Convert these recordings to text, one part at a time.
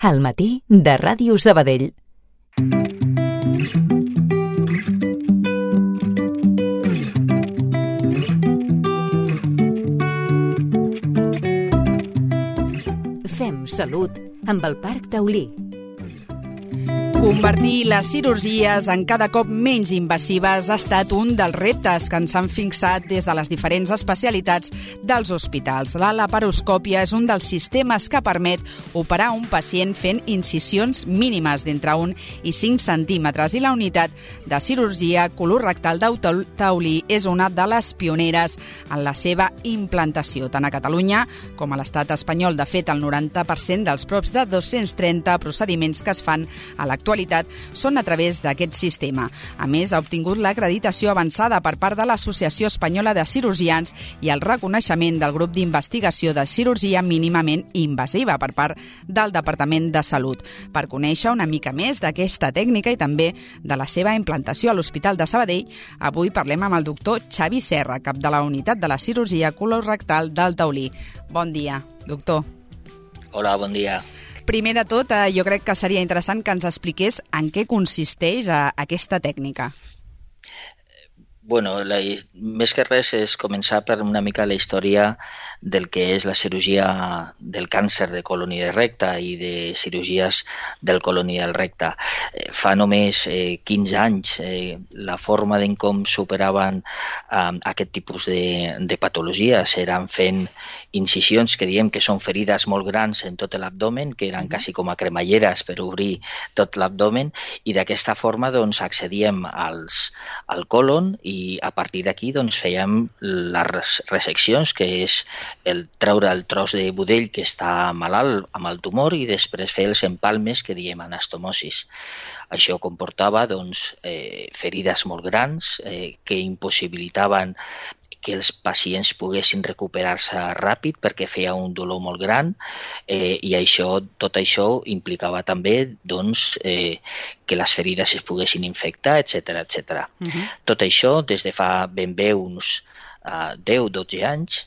Al matí de Ràdio Sabadell. Fem salut amb el Parc Taulí. Convertir les cirurgies en cada cop menys invasives ha estat un dels reptes que ens han fixat des de les diferents especialitats dels hospitals. La laparoscòpia és un dels sistemes que permet operar un pacient fent incisions mínimes d'entre 1 i 5 centímetres i la unitat de cirurgia colorectal del Taulí és una de les pioneres en la seva implantació, tant a Catalunya com a l'estat espanyol. De fet, el 90% dels props de 230 procediments que es fan a l'actualitat són a través d'aquest sistema. A més, ha obtingut l'acreditació avançada per part de l'Associació Espanyola de Cirurgians i el reconeixement del grup d'investigació de cirurgia mínimament invasiva per part del Departament de Salut. Per conèixer una mica més d'aquesta tècnica i també de la seva implantació a l'Hospital de Sabadell, avui parlem amb el doctor Xavi Serra, cap de la unitat de la cirurgia colorectal del Taulí. Bon dia, doctor. Hola, bon dia. Primer de tot, jo crec que seria interessant que ens expliqués en què consisteix aquesta tècnica. Bueno, més que res és començar per una mica la història del que és la cirurgia del càncer de colon i de recte i de cirurgies del colon i del recte. Fa només 15 anys la forma en com superaven aquest tipus de patologies eren fent incisions que diem que són ferides molt grans en tot l'abdomen, que eren quasi com a cremalleres per obrir tot l'abdomen, i d'aquesta forma doncs, accedíem al colon i a partir d'aquí doncs, fèiem les reseccions, que és treure el tros de budell que està malalt amb el tumor i després fer els empalmes que diem anastomosis. Això comportava doncs, ferides molt grans que impossibilitaven que els pacients poguessin recuperar-se ràpid perquè feia un dolor molt gran i tot això implicava també doncs, que les ferides es poguessin infectar, etc etc. Tot això des de fa ben bé uns 10-12 anys,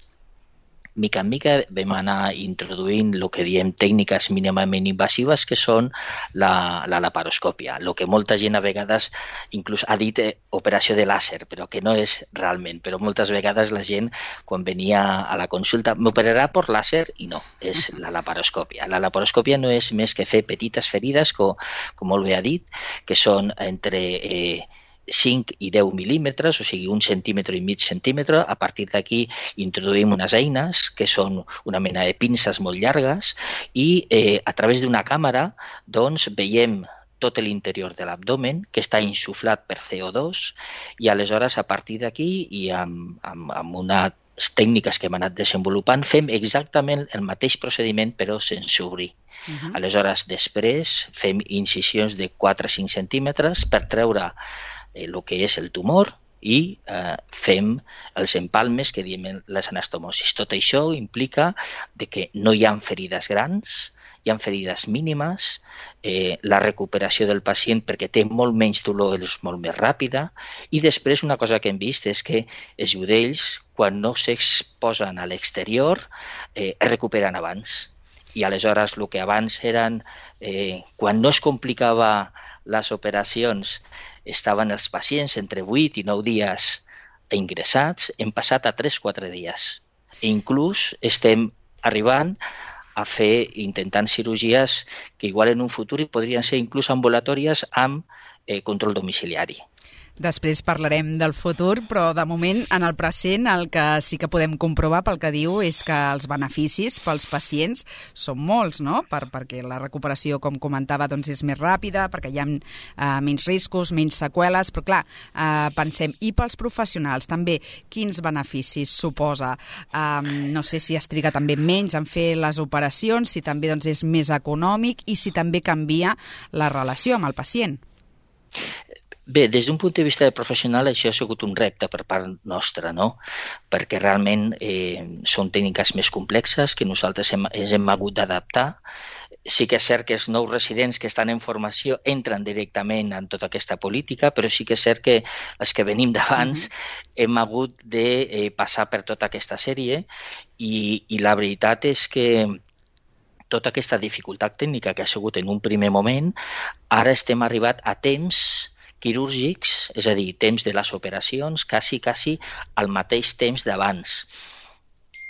mica en mica vam anar introduint el que diem tècniques mínimament invasives, que són la laparoscòpia. El que molta gent a vegades inclús ha dit operació de làser, però que no és realment. Però moltes vegades la gent, quan venia a la consulta, m'operarà per làser, i no, és la laparoscòpia. La laparoscòpia no és més que fer petites ferides, com molt bé ha dit, que són entre 5 i 10 mil·límetres, o sigui, 1,5 centímetre. A partir d'aquí introduïm unes eines que són una mena de pinces molt llargues i a través d'una càmera doncs, veiem tot l'interior de l'abdomen, que està insuflat per CO2, i aleshores a partir d'aquí i amb unes tècniques que hem anat desenvolupant fem exactament el mateix procediment però sense obrir. Aleshores després fem incisions de 4-5 centímetres per treure el que és el tumor i fem els empalmes que diem les anastomosis. Tot això implica que no hi ha ferides grans, hi ha ferides mínimes, la recuperació del pacient perquè té molt menys dolor és molt més ràpida i després una cosa que hem vist és que els budells quan no s'exposen a l'exterior es recuperen abans. I aleshores el que abans eren, quan no es complicava les operacions, estaven els pacients entre 8 i 9 dies ingressats, hem passat a 3-4 dies. I inclús estem arribant a fer, intentant cirurgies que igual en un futur podrien ser inclús ambulatòries amb control domiciliari. Després parlarem del futur, però de moment, en el present, el que sí que podem comprovar pel que diu és que els beneficis pels pacients són molts, no? Perquè la recuperació, com comentava, doncs és més ràpida, perquè hi ha menys riscos, menys seqüeles, però clar, pensem, i pels professionals també, quins beneficis suposa? No sé si es triga també menys en fer les operacions, si també doncs, és més econòmic i si també canvia la relació amb el pacient. Bé, des d'un punt de vista de professional això ha sigut un repte per part nostra, no? Perquè realment són tècniques més complexes que nosaltres ens hem hagut d'adaptar. Sí que és cert que els nous residents que estan en formació entren directament en tota aquesta política, però sí que és cert que els que venim d'abans hem hagut de passar per tota aquesta sèrie i la veritat és que tota aquesta dificultat tècnica que ha sigut en un primer moment, ara estem arribat a temps quirúrgics, és a dir, temps de les operacions, quasi al mateix temps d'abans.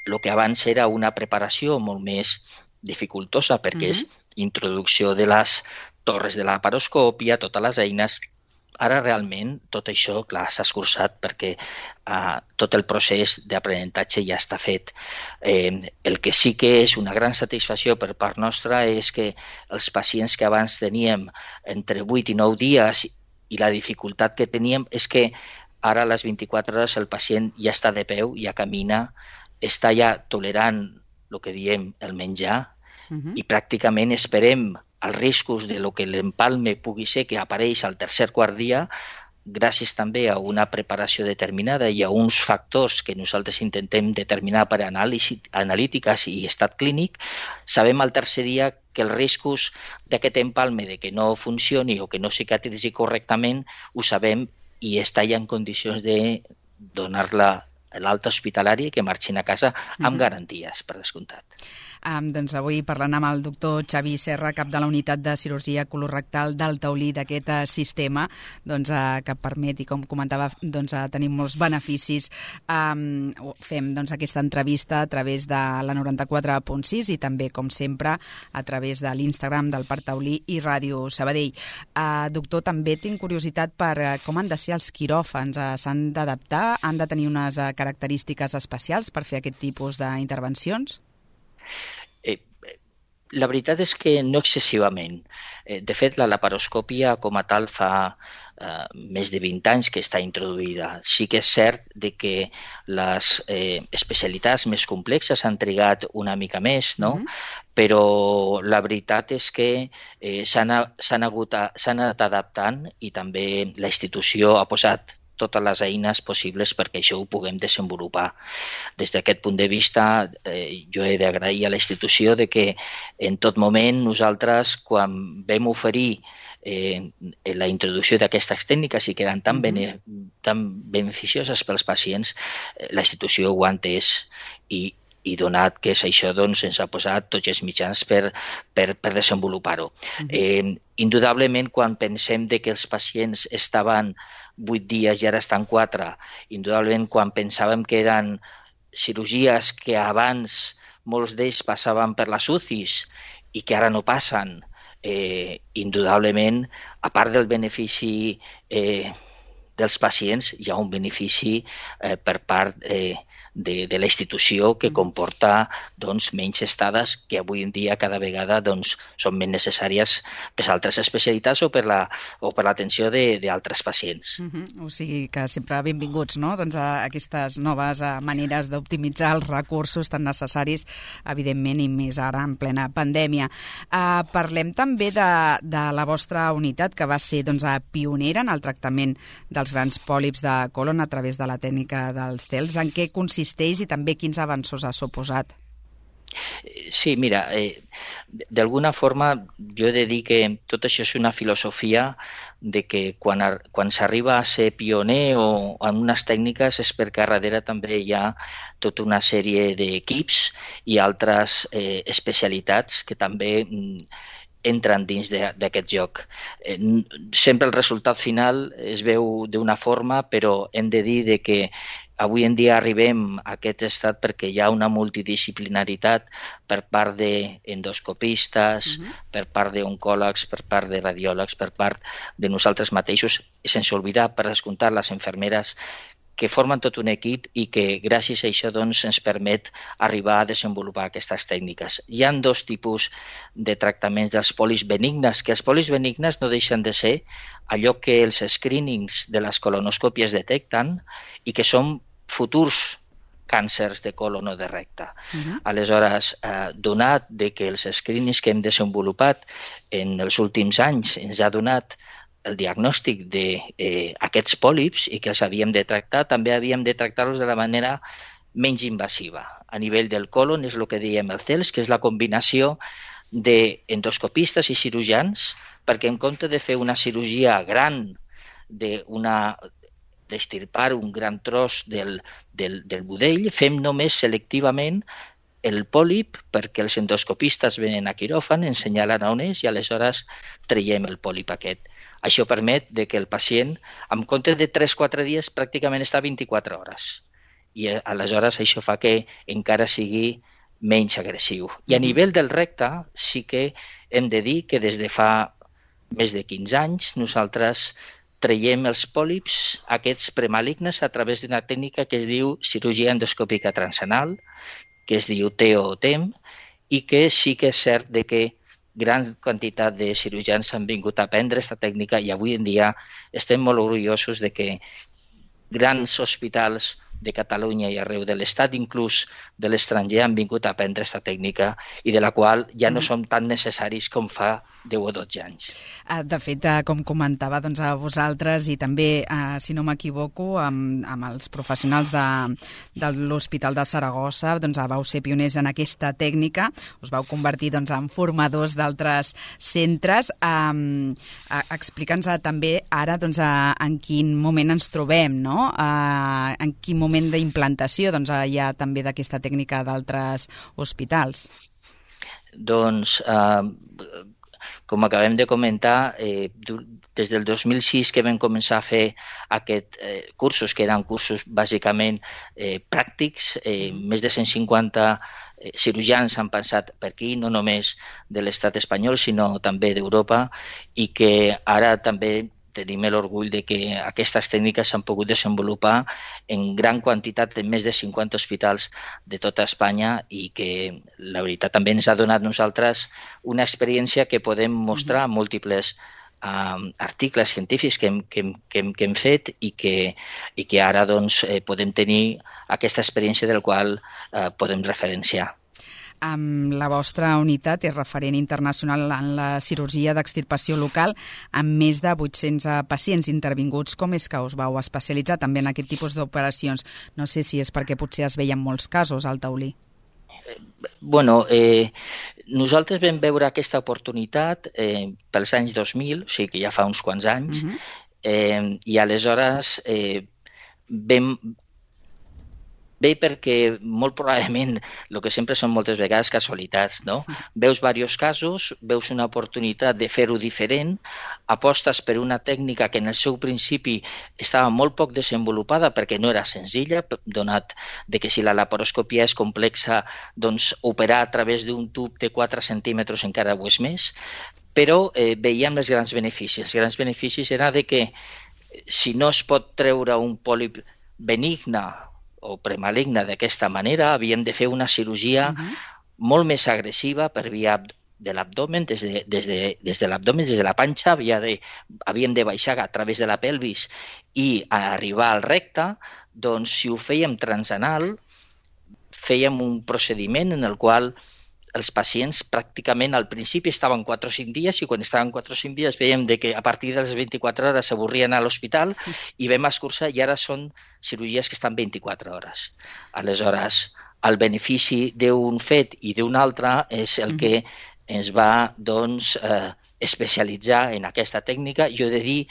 El que abans era una preparació molt més dificultosa perquè és introducció de les torres de la laparoscòpia, totes les eines. Ara realment tot això, clar, s'ha escurçat perquè tot el procés d'aprenentatge ja està fet. El que sí que és una gran satisfacció per part nostra és que els pacients que abans teníem entre 8 i 9 dies i la dificultat que teníem és que ara a les 24 hores el pacient ja està de peu, ja camina, està ja tolerant el que diem el menjar i pràcticament esperem els riscos de lo que l'empalme pugui ser que apareix al tercer quart dia, gràcies també a una preparació determinada i a uns factors que nosaltres intentem determinar per analítiques i estat clínic, sabem al tercer dia que els riscos d'aquest empalme de que no funcioni o que no cicatritzi correctament ho sabem i està ja en condicions de donar-la l'alta hospitalària i que marxin a casa amb garanties, per descomptat. Doncs avui parlant amb el doctor Xavi Serra, cap de la unitat de cirurgia colorectal del taulí d'aquest sistema que permet, i com comentava, tenir molts beneficis. Fem aquesta entrevista a través de la 94.6 i també, com sempre, a través de l'Instagram del Parc Taulí i Ràdio Sabadell. Doctor, també tinc curiositat per com han de ser els quiròfans. S'han d'adaptar? Han de tenir unes característiques especials per fer aquest tipus d'intervencions? La veritat és que no excessivament. De fet, la laparoscòpia com a tal fa més de 20 anys que està introduïda. Sí que és cert que les especialitats més complexes han trigat una mica més, no? Però la veritat és que s'han anat adaptant i també la institució ha posat totes les eines possibles perquè això ho puguem desenvolupar. Des d'aquest punt de vista, jo he d'agrair a la institució que en tot moment nosaltres, quan vam oferir la introducció d'aquestes tècniques i que eren tan beneficioses pels pacients, la institució ho ha entès i donat que és això, ens ha posat tots els mitjans per desenvolupar-ho. Indudablement, quan pensem que els pacients estaven 8 dies i ara estan 4, indudablement quan pensàvem que eren cirurgies que abans molts d'ells passaven per les UCIs i que ara no passen, indudablement, a part del benefici dels pacients, hi ha un benefici per part de la institució que comporta menys estades que avui en dia cada vegada són més necessàries per altres especialitats o per l'atenció d'altres pacients. O sigui que sempre benvinguts, no? A aquestes noves maneres d'optimitzar els recursos tan necessaris, evidentment, i més ara en plena pandèmia. Parlem també de la vostra unitat, que va ser pionera en el tractament dels grans pòlips de colon a través de la tècnica dels TELs. En què consisteix i també quins avanços ha suposat? Sí, mira, d'alguna forma jo he de dir que tot això és una filosofia de que quan s'arriba a ser pioner o en unes tècniques és perquè a darrere també hi ha tota una sèrie d'equips i altres especialitats que també entren dins d'aquest joc. Sempre el resultat final es veu d'una forma, però hem de dir que avui en dia arribem a aquest estat perquè hi ha una multidisciplinaritat per part d'endoscopistes, per part d'oncòlegs, per part de radiòlegs, per part de nosaltres mateixos, sense oblidar, per descomptar, les infermeres, que formen tot un equip i que gràcies a això ens permet arribar a desenvolupar aquestes tècniques. Hi ha 2 tipus de tractaments dels polis benignes, que els polis benignes no deixen de ser allò que els screenings de les colonoscòpies detecten i que són futurs càncers de colon o de recte. Aleshores, donat que els screenings que hem desenvolupat en els últims anys ens ha donat el diagnòstic d'aquests pòlips i que els havíem de tractar, també havíem de tractar-los de la manera menys invasiva. A nivell del colon és el que diem el CELS, que és la combinació d'endoscopistes i cirurgians, perquè en compte de fer una cirurgia gran d'extirpar un gran tros del budell, fem només selectivament el pòlip perquè els endoscopistes venen a quiròfan, ens senyalen on és i aleshores traiem el pòlip aquest. Això permet que el pacient, en comptes de 3-4 dies, pràcticament està 24 hores. I aleshores això fa que encara sigui menys agressiu. I a nivell del recte sí que hem de dir que des de fa més de 15 anys nosaltres traiem els pòlips, aquests premalignes, a través d'una tècnica que es diu cirurgia endoscòpica transanal, que es diu TEO o TEM, i que sí que és cert que gran quantitat de cirurgians han vingut a aprendre aquesta tècnica i avui en dia estem molt orgullosos de que grans hospitals de Catalunya i arreu de l'Estat, inclús de l'estranger, han vingut a aprendre aquesta tècnica i de la qual ja no som tan necessaris com fa 10 o 12 anys. De fet, com comentava, a vosaltres i també, si no m'equivoco, amb els professionals de l'Hospital de Saragossa, vau ser pioners en aquesta tècnica, us vau convertir en formadors d'altres centres. Explica'ns també ara en quin moment ens trobem, no? En quin moment d'implantació hi ha també d'aquesta tècnica d'altres hospitals. Doncs, com acabem de comentar, des del 2006 que vam començar a fer aquests cursos, que eren cursos bàsicament pràctics, més de 150 cirurgians han passat per aquí, no només de l'estat espanyol, sinó també d'Europa, i que ara també tenim l'orgull de que aquestes tècniques s'han pogut desenvolupar en gran quantitat en més de 50 hospitals de tota Espanya i que la veritat també ens ha donat nosaltres una experiència que podem mostrar en múltiples articles científics que hem fet i que ara podem tenir aquesta experiència del qual podem referenciar. La vostra unitat és referent internacional en la cirurgia d'extirpació local amb més de 800 pacients intervinguts. Com és que us vau especialitzar també en aquest tipus d'operacions? No sé si és perquè potser es veien molts casos al taulí. Nosaltres vam veure aquesta oportunitat pels anys 2000, o sigui que ja fa uns quants anys, i aleshores Bé, perquè molt probablement el que sempre són moltes vegades casualitats, no? Veus diversos casos, veus una oportunitat de fer-ho diferent, apostes per una tècnica que en el seu principi estava molt poc desenvolupada perquè no era senzilla, donat que si la laparoscòpia és complexa, doncs operar a través d'un tub de 4 centímetres encara ho és més, però veiem els grans beneficis. Els grans beneficis era que si no es pot treure un pòlip benigne o premaligne d'aquesta manera, havíem de fer una cirurgia molt més agressiva per via de l'abdomen, des de l'abdomen, des de la panxa, havíem de baixar a través de la pelvis i arribar al recte. Doncs si ho fèiem transanal, fèiem un procediment en el qual els pacients pràcticament al principi estaven 4 o 5 dies i quan estaven 4 o 5 dies veiem que a partir de les 24 hores s'avorrien a l'hospital i vam escurçar i ara són cirurgies que estan 24 hores. Aleshores, el benefici d'un fet i d'un altre és el que ens va especialitzar en aquesta tècnica. Jo he de dir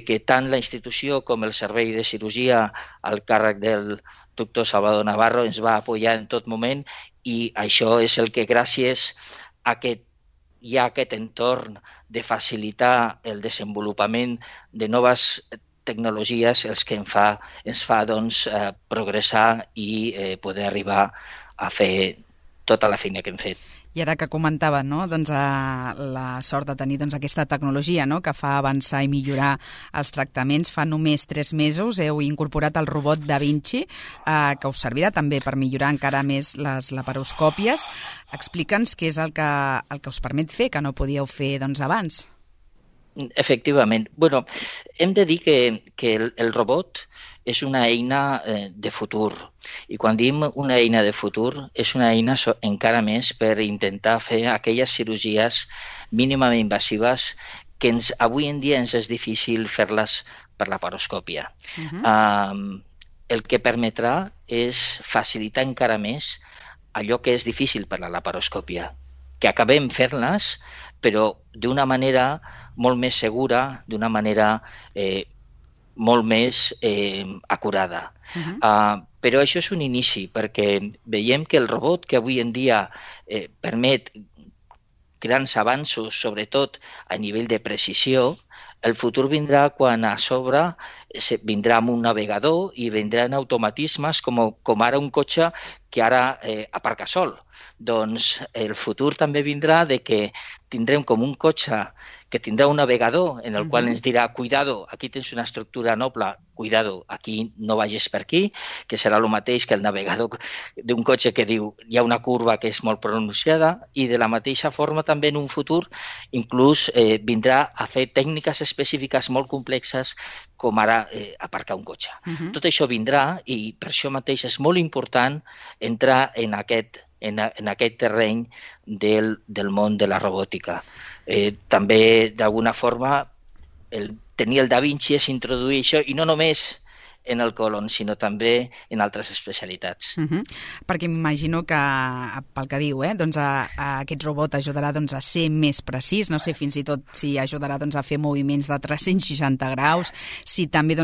que tant la institució com el servei de cirurgia al càrrec del doctor Salvador Navarro ens va apoyar en tot moment i això és el que gràcies a que hi ha aquest entorn de facilitar el desenvolupament de noves tecnologies els que ens fa progressar i poder arribar a fer tota la feina que hem fet. I ara que comentava la sort de tenir aquesta tecnologia que fa avançar i millorar els tractaments, fa només 3 mesos heu incorporat el robot Da Vinci, que us servirà també per millorar encara més les laparoscòpies. Explica'ns què és el que us permet fer, que no podíeu fer abans. Efectivament. Hem de dir que el robot és una eina de futur. I quan diem una eina de futur, és una eina encara més per intentar fer aquelles cirurgies mínimament invasives que avui en dia ens és difícil fer-les per laparoscòpia. El que permetrà és facilitar encara més allò que és difícil per la laparoscòpia, que acabem fer-les, però d'una manera molt més segura, d'una manera molt més acurada. Però això és un inici, perquè veiem que el robot que avui en dia permet grans avanços, sobretot a nivell de precisió, el futur vindrà quan a sobre vindrà amb un navegador i vindran automatismes com ara un cotxe que ara aparca sol. Doncs el futur també vindrà de que tindrem com un cotxe que tindrà un navegador en el qual ens dirà cuidado, aquí tens una estructura noble, cuidado, aquí no vagis per aquí, que serà el mateix que el navegador d'un cotxe que diu hi ha una curva que és molt pronunciada, i de la mateixa forma també en un futur inclús vindrà a fer tècniques específiques molt complexes com ara aparcar un cotxe. Tot això vindrà i per això mateix és molt important entrar en aquest terreny del món de la robòtica. També, d'alguna forma, tenir el Da Vinci és introduir això, i no només en el colon, sinó també en altres especialitats. Perquè m'imagino que, pel que diu, doncs aquest robot ajudarà a ser més precís, no sé fins i tot si ajudarà a fer moviments de 360 graus, si també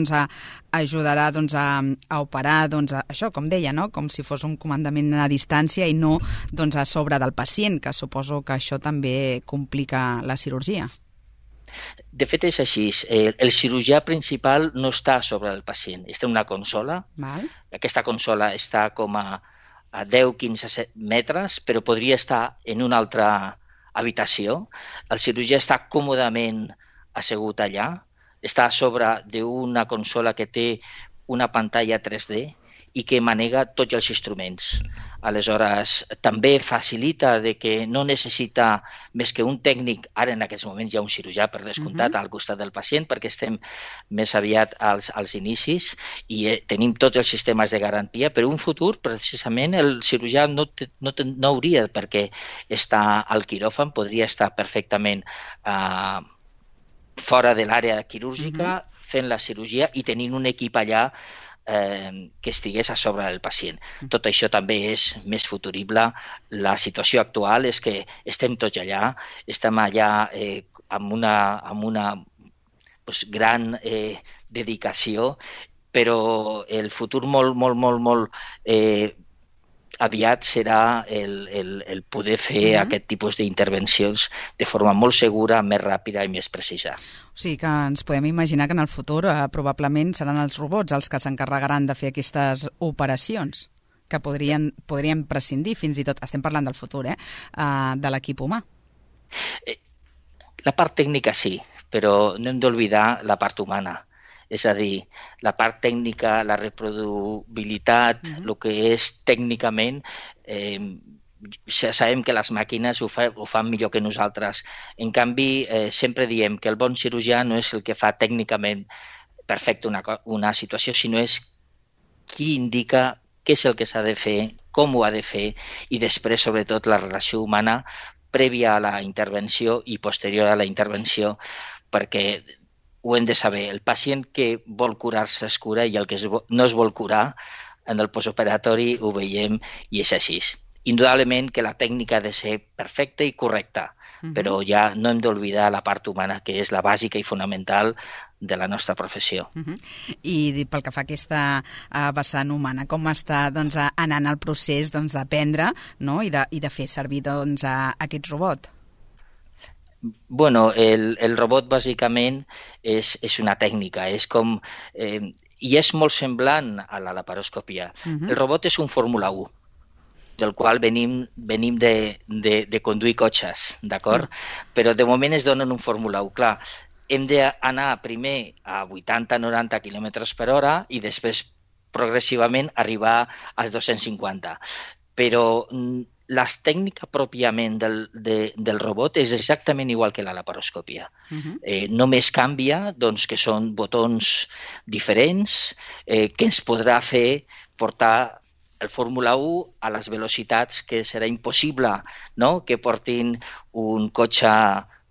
ajudarà a operar, això, com deia, no? Com si fos un comandament a distància i no a sobre del pacient, que suposo que això també complica la cirurgia. De fet, és així. El cirurgià principal no està sobre el pacient. Està en una consola. Val. Aquesta consola està com a 10-15 metres, però podria estar en una altra habitació. El cirurgià està còmodament assegut allà. Està a sobre d'una consola que té una pantalla 3D i que manega tots els instruments. Aleshores, també facilita de que no necessita més que un tècnic, ara en aquests moments hi ha un cirurgià per descomptat al costat del pacient perquè estem més aviat als inicis i tenim tots els sistemes de garantia, però un futur, precisament, el cirurgià no hauria per què estar al quiròfan, podria estar perfectament fora de l'àrea quirúrgica fent la cirurgia i tenint un equip allà que estigués a sobre del pacient. Tot això també és més futurible. La situació actual és que estem tots allà, estem allà amb una gran dedicació, però el futur molt aviat serà el poder fer aquest tipus d'intervencions de forma molt segura, més ràpida i més precisa. O sigui que ens podem imaginar que en el futur probablement seran els robots els que s'encarregaran de fer aquestes operacions, que podrien prescindir fins i tot, estem parlant del futur, de l'equip humà. La part tècnica sí, però no hem d'oblidar la part humana. És a dir, la part tècnica, la reproducibilitat, el que és tècnicament, sabem que les màquines ho fan millor que nosaltres. En canvi, sempre diem que el bon cirurgià no és el que fa tècnicament perfecte una situació, sinó és qui indica què és el que s'ha de fer, com ho ha de fer, i després, sobretot, la relació humana prèvia a la intervenció i posterior a la intervenció, perquè ho hem de saber. El pacient que vol curar-se es cura i el que no es vol curar en el postoperatori ho veiem i és així. Indudablement que la tècnica ha de ser perfecta i correcta, però ja no hem d'oblidar la part humana, que és la bàsica i fonamental de la nostra professió. I pel que fa a aquesta vessant humana, com està anant el procés d'aprendre i de fer servir aquest robot? Bueno, el robot bàsicament és una tècnica, és com i és molt semblant a la laparoscòpia. El robot és un Fórmula 1, del qual venim de conduir cotxes, d'acord? Però de moment es donen un Fórmula 1. Clar, hem d'anar primer a 80-90 km per hora i després progressivament arribar als 250. Però la tècnica pròpiament del robot és exactament igual que la laparoscòpia. Només canvia que són botons diferents que ens podrà fer portar el Fórmula 1 a les velocitats que serà impossible que portin un cotxe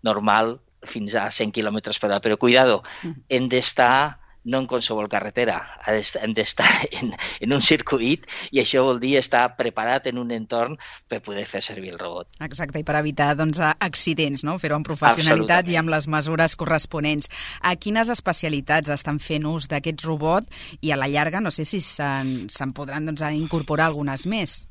normal fins a 100 km per hora. Però cuidado, hem d'estar no en qualsevol carretera, hem d'estar en un circuit i això vol dir estar preparat en un entorn per poder fer servir el robot. Exacte, i per evitar accidents, no? Fer-ho amb professionalitat i amb les mesures corresponents. A quines especialitats estan fent ús d'aquest robot i a la llarga no sé si se'n podran incorporar algunes més?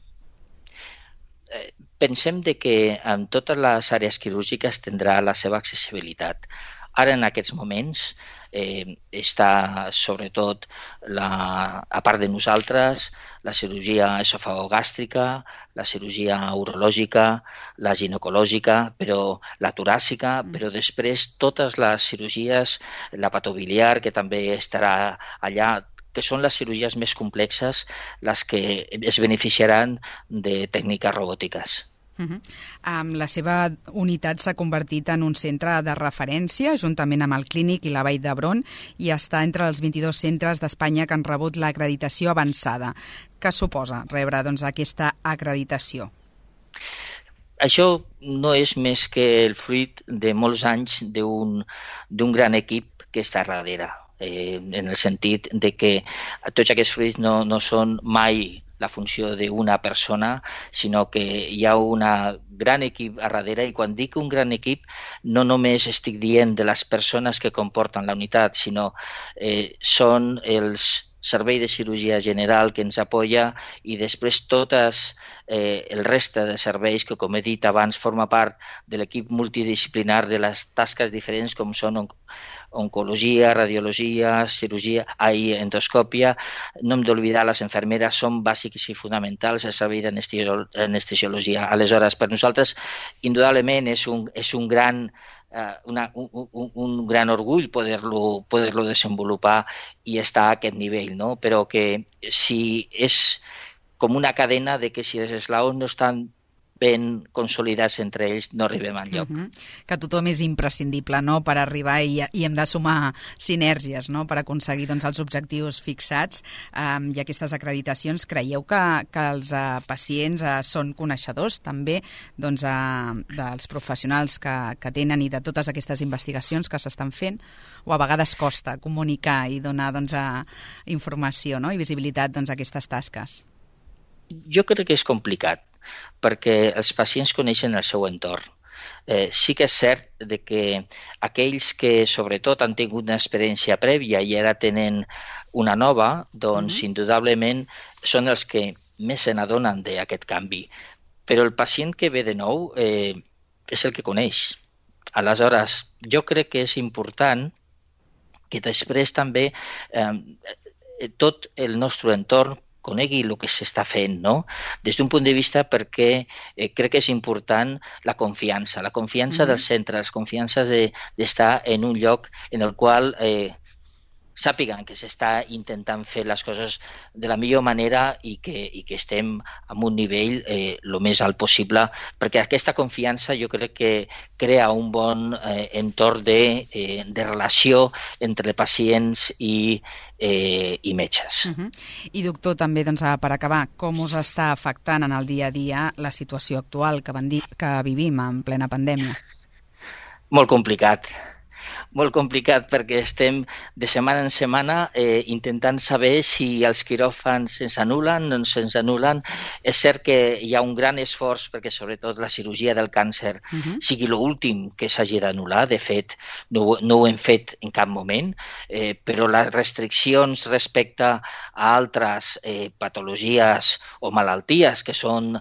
Pensem que en totes les àrees quirúrgiques tindrà la seva accessibilitat. Ara, en aquests moments, està sobretot, a part de nosaltres, la cirurgia esofagogàstrica, la cirurgia urològica, la ginecològica, però la toràcica, però després totes les cirurgies, la patobiliar, que també estarà allà, que són les cirurgies més complexes, les que es beneficiaran de tècniques robòtiques. La seva unitat s'ha convertit en un centre de referència, juntament amb el Clínic i la Vall d'Hebron, i està entre els 22 centres d'Espanya que han rebut l'acreditació avançada. Què suposa rebre aquesta acreditació? Això no és més que el fruit de molts anys d'un gran equip que està darrere, en el sentit de que tots aquests fruits no són mai la funció d'una persona, sinó que hi ha un gran equip a darrere, i quan dic un gran equip no només estic dient de les persones que comporten la unitat, sinó són els servei de cirurgia general que ens apoya i després totes el reste de serveis que, com he dit abans, forma part de l'equip multidisciplinar de les tasques diferents com són oncologia, radiologia, cirurgia, endoscòpia. No hem d'oblidar, les infermeres són bàsics i fonamentals al servei d'anestesiologia. Aleshores, per nosaltres, indudablement és un gran orgull poder-lo desenvolupar i estar a aquest nivell, no? Però que si és com una cadena de que si els eslaons no estan ben consolidats entre ells, no arribem enlloc. Que tothom és imprescindible, no?, per arribar i hem de sumar sinergies, no?, per aconseguir els objectius fixats i aquestes acreditacions. Creieu que els pacients són coneixedors també dels professionals que tenen i de totes aquestes investigacions que s'estan fent? O a vegades costa comunicar i donar informació, no?, i visibilitat a aquestes tasques? Jo crec que és complicat, perquè els pacients coneixen el seu entorn. Sí que és cert que aquells que sobretot han tingut una experiència prèvia i ara tenen una nova, doncs indudablement són els que més se n'adonen d'aquest canvi. Però el pacient que ve de nou és el que coneix. Aleshores, jo crec que és important que després també tot el nostre entorn conegui el que s'està fent, no? Des d'un punt de vista perquè crec que és important la confiança dels centres, la confiança d'estar en un lloc en el qual sàpiguen que s'està intentant fer les coses de la millor manera i que estem en un nivell el més alt possible, perquè aquesta confiança jo crec que crea un bon entorn de relació entre pacients i metges. I doctor, també per acabar, com us està afectant en el dia a dia la situació actual que vivim en plena pandèmia? Molt complicat perquè estem de setmana en setmana intentant saber si els quiròfans se'ns anulen o no se'ns anulen. És cert que hi ha un gran esforç perquè sobretot la cirurgia del càncer sigui l'últim que s'hagi d'anul·lar. De fet, no ho hem fet en cap moment, però les restriccions respecte a altres patologies o malalties que són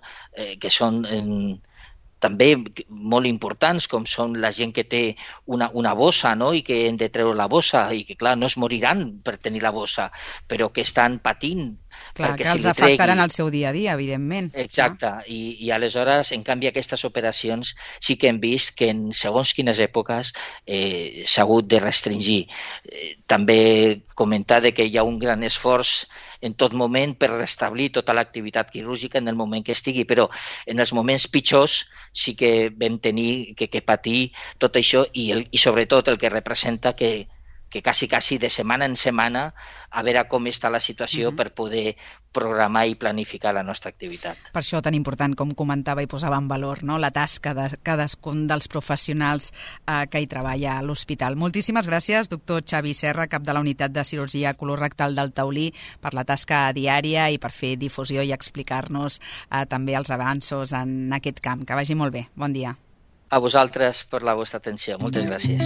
també molt importants, com són la gent que té una bossa, no?, i que hem de treure la bossa i que, clar, no es moriran per tenir la bossa, però que estan patint. Clar, que els afectaran el seu dia a dia, evidentment. Exacte, i aleshores, en canvi, aquestes operacions sí que hem vist que en segons quines èpoques s'ha hagut de restringir. També comentar que hi ha un gran esforç en tot moment per restablir tota l'activitat quirúrgica en el moment que estigui, però en els moments pitjors sí que vam tenir que patir tot això i sobretot el que representa que quasi de setmana en setmana a veure com està la situació per poder programar i planificar la nostra activitat. Per això tan important, com comentava i posava en valor, no? La tasca de cadascun dels professionals que hi treballa a l'hospital. Moltíssimes gràcies, doctor Xavi Serra, cap de la Unitat de Cirurgia Colorectal del Taulí, per la tasca diària i per fer difusió i explicar-nos també els avanços en aquest camp. Que vagi molt bé. Bon dia. A vosaltres per la vostra atenció. Moltes gràcies.